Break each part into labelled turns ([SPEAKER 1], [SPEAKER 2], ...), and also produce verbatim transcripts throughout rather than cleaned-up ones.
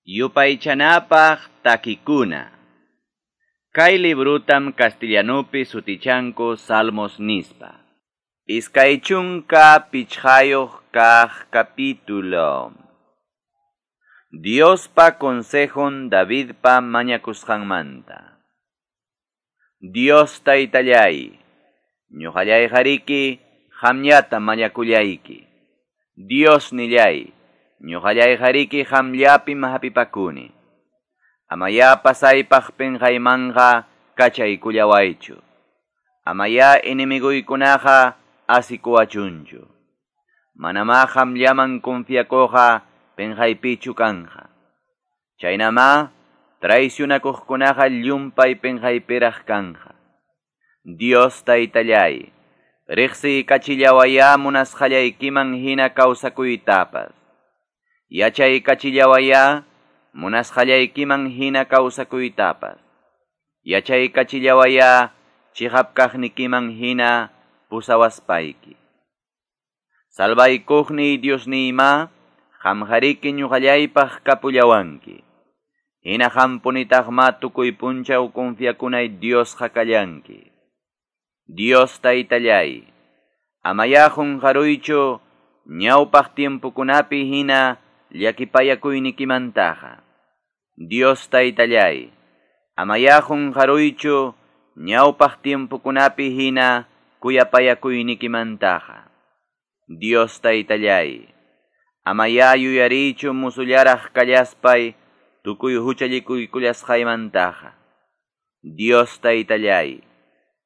[SPEAKER 1] Yupaychanapaq takikuna. Kay librutam castellanupi sutichanku Salmos nispa. Iskay chunka pichqayuq kaq capítulo. Diospa consejon Davidpa mañakusqanmanta. Dios taytallay, ñuqallayqariki qamllata mañakullayki. Dios nillay, ñuqallayqariki qamllapim hapipakuni. Amaya pasaypaq pinqaymanqa kachaykullawaychu. Amaya enemiguykunaqa asikuwachunchu. Manamá qamllaman confiakuqqa pinqaypichu kanqa. Chaynamá traicionakuqkunaqa llumpay pinqaypiraq kanqa. Dios taytallay, riqsiykachillawaya munasqallaykiman hina kawsakuytapas. Yachaykachillawaya munasqallaykiman hina kawsakuytapas. Yachaykachillawaya chiqap kaqnikiman hina pusawaspayki. Salvaykuqniy Diosniyma, qamqariki ñuqallaypaq kapullawanki. Hina qampunitaqma tukuy punchaw confiakunay Diosqa kallanki. Dios taytallay, amaya qunqaruychu ñawpaq tiempokunapi hina llakipayakuynikimantaqa. Dios taytallay, amaya qunqaruychu ñawpaq tiempokunapi hina kuyapayakuynikimantaqa. Dios taytallay, amaya yuyariychu musullaraq kallaspay tukuy huchallikuykullasqaymantaqa. Dios taytallay,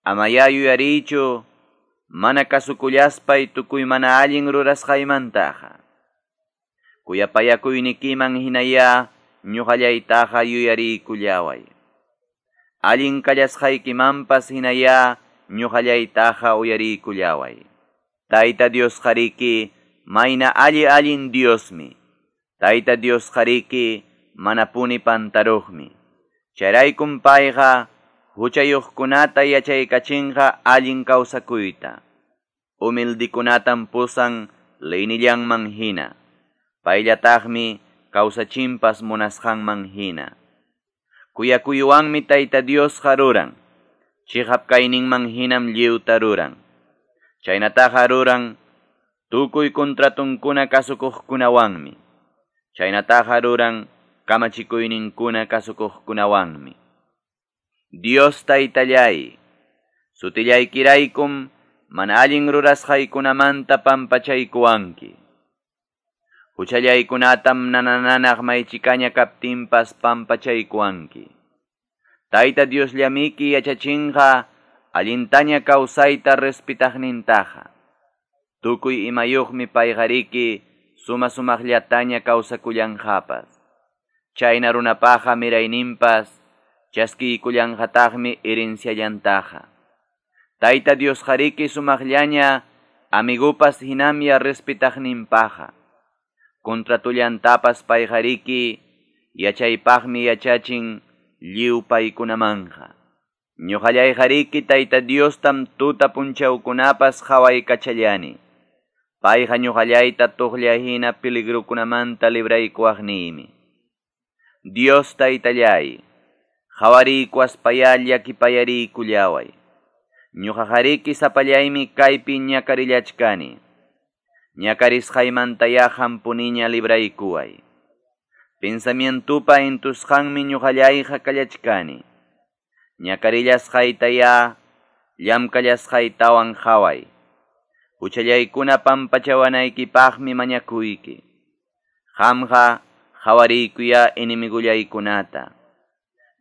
[SPEAKER 1] amaya yuyariychu mana kasukullaspay tukuy mana allin rurasqaymantaqa. Kuyapayakuynikiman hinaya ñuqallaytaqa yuyariykullaway. Allin kallasqaykimanpas hinaya ñuqallaytaqa uyariykullaway. Tayta Diosqariki mayna alli allin Diosmi. Tayta Diosqariki manapuni pantaruqmi. Chayraykum payqa huchayuqkunata yachaykachinqa allin kawsakuyta. Humildikunatam pusan leynillanman hina. Payllataqmi kawsachinpas munasqanman hina. Kuyakuywanmi Tayta Diosqa ruran. Chiqap kayninman hinam lliwta ruran. Chaynataqa ruran tukuy contratunkuna kasukuqkunawanmi. Chaynataqa ruran kamachikuyninkuna kasukuqkunawanmi. Dios taytallay, sutillaykiraykum mana allin rurasqaykunamanta pampachaykuwanki. Huchallaykunatam nanananaq maychikaña kaptinpas pampachaykuwanki. Tayta Diosllamiki yachachinqa allintaña kawsayta respetaqnintaqa. Tukuy imayuqmi payqariki suma sumaqllataña kawsakullanqapas. Chayna runapaqa mirayninpas chaskiykullanqataqmi herenciallantaqa. Tayta Diosqariki sumaqllaña amigupas hinamya respetaqninpaqa. Contratullantapas payqariki yachaypaqmi yachachin lliw paykunamanja. Ñuqallayqariki Tayta Diostam tuta punchawkunapas qawaykachallani. Payqa ñuqallayta tuqlla hina peligrukunamanta libraykuwaqniymi. Dios taytallay, qawariykuwaspayá llakipayariykullaway. Ñuqaqariki sapallaymi kaypi ñakarillachkani. Ñakarisqaymantayá hampuniña libraykuway. Pensamientupa intusqanmi ñuqallayqa kallachkani. Ñakarillasqaytayá llamkallasqaytawan qhaway. Huchallaykuna pampachawanaykipaqmi mañakuyki. Qamqa qhawariykuya enemigullaykunata.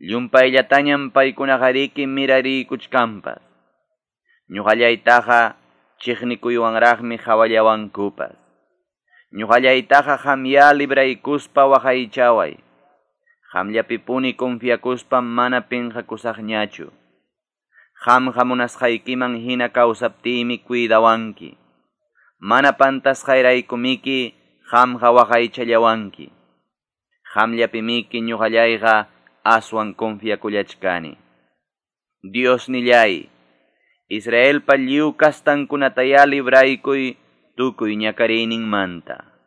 [SPEAKER 1] Llumpayllatañam paykunaqariki mirariykuchkanpas. Ñuqallaytaqa chiqnikuywanraqmi qawallawankupas. Ñuqallaytaqa qamya libraykuspa waqaychaway. Qamllapipuni confiakuspa mana pinqakusaqñachu. Qamqa munasqaykiman hina kawsaptiymi cuidawanki. Mana pantasqayraykumiki qamqa waqaychallawanki. Qamllapimiki ñuqallayqa aswan confiakullachkani. Dios nillay, Israelpa lliw kastankunatayá libraykuy tukuy ñakariyninmanta.